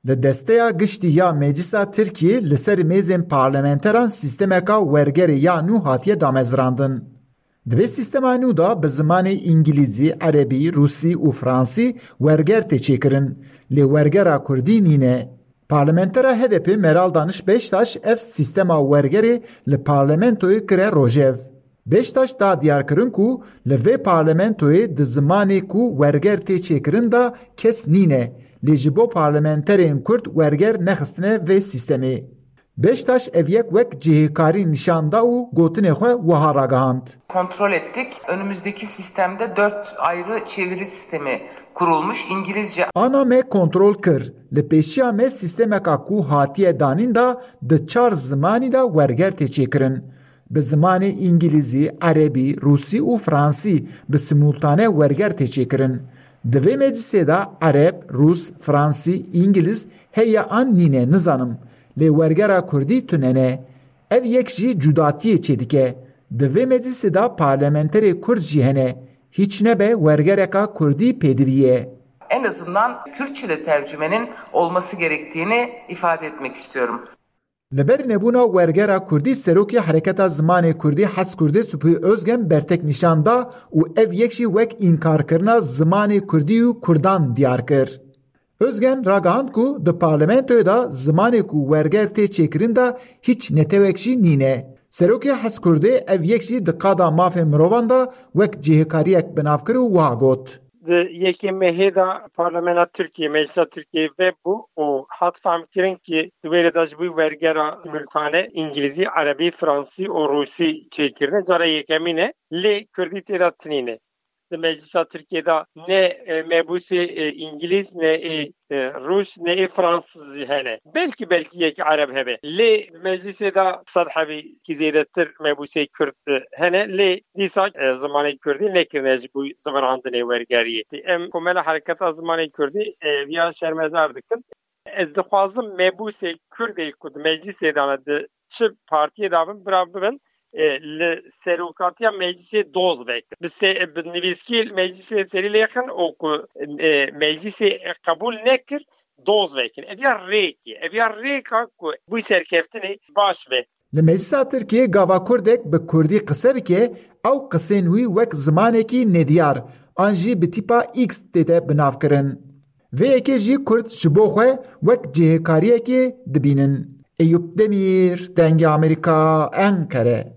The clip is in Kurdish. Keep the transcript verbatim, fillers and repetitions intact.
Li desteya giştî ya Meclisa Tirkiyê li ser mêzên parlamenteran sîstemeka wergerê ya nû hatiye damezrandin. Di vê sîstema nû de bi zimanê îngilîzî, erebî, rûsî û fransî werger tê çêkirin, lê wergera kurdî nîne. Parlamentera H D P Meral Daniş Beştaş ev sîstema wergerê li parlamentoyê kire rojev. Beştaş da diyarkirin ku li vê parlamentoyê di zimanê ku werger tê çêkirin de kes nîne, lê ji bo parlamenterên kurd werger nexistine vê sîstemê. Beştaş ev yek wek cihêkarî nîşan da û gotinê xwe wiha ragihand. Kontrol ettik. Önümüzdeki sistemde dört ayrı çeviri sistemi kurulmuş. İngilizce. Ana me kontrol kir. Li pêşiya me sîstemeka ku hatiye danîn de di çar zimanî de werger tê çêkirin. Bi zimanê îngilîzî, erebî, rûsî û fransî bi simultane werger tê çêkirin. Di vê meclisê de ereb, rûs, fransî, îngiliz heye an nîne nizanim. Lê wergera kurdî tune ne. Ev yek jî cudatiyê çêdike. Di vê meclisê de parlamenterê kurd jî hene. Hiç nebe wergereka kurdî pêdivî ye. En azından Kürtçe de tercümenin olması gerektiğini ifade etmek istiyorum. Li ber nebûna wergera kurdî serokê Hereketa Zimanê Kurdî Hes Kurdê Supî Özgen bertek nîşan da û ev yek jî wek înkarkirina zimanê kurdî û kurdan diyar kir. Özgen ragihand ku di parlamentoyê de zimanê ku werger tê çêkirin de hîç netewek jî nîne. Serokê Hes Kurdê ev yek jî di qada mafê mirovan de wek cihêkariyek bi nav kir û wiha got. Di yekê mehê de Parlamena Tirkiyê, Meclisa Tirkiyê vebû û hat fehmkirin ki di wê rê de ji bo wergera simultane îngilîzî, erebî, fransî û rûsî çêkirine cara yekemîn e, lê kurdî tê de tinîne. Di Meclisa Tirkiyê de ne e, mebûsê e, îngilîz, ne ê e, rûs, ne ê fransîz jî hene. Belkî belkî yek ereb hebe. Lê di meclîsê de sed hebî kî zêdetir mebûsê kurd e, hene. Lê dîsa e, zimanê kurdî nekirine ji bo zivirandinê wergeriyê. Em Komela Hereketa Zimanê Kurdî e, viya şermezar dikin. Ez dixwazim mebûsê kurdê ku di meclîsê de ne, di çi partiyê de bin, bira bibin, e, li serokatiya meclîsê doz vekin. Bi, se, bi nivîskî meclîsê serî lêxin û ku e, meclîsê qebûl nekir, doz vekin. Ev ya rêk e. Ev ya rêka ku bû serkeftinê baş be. Li Meclisa Tirkiyê gava kurdek bi kurdî qise bike, ew qisên wî wek zimanekî nediyar an jî bi tîpa X tête binavkirin. Vê yekê jî kurd ji bo xwe wek cihêkariyekê dibînin. Eyûp Demîr, Dengê Amerîka, Enqere.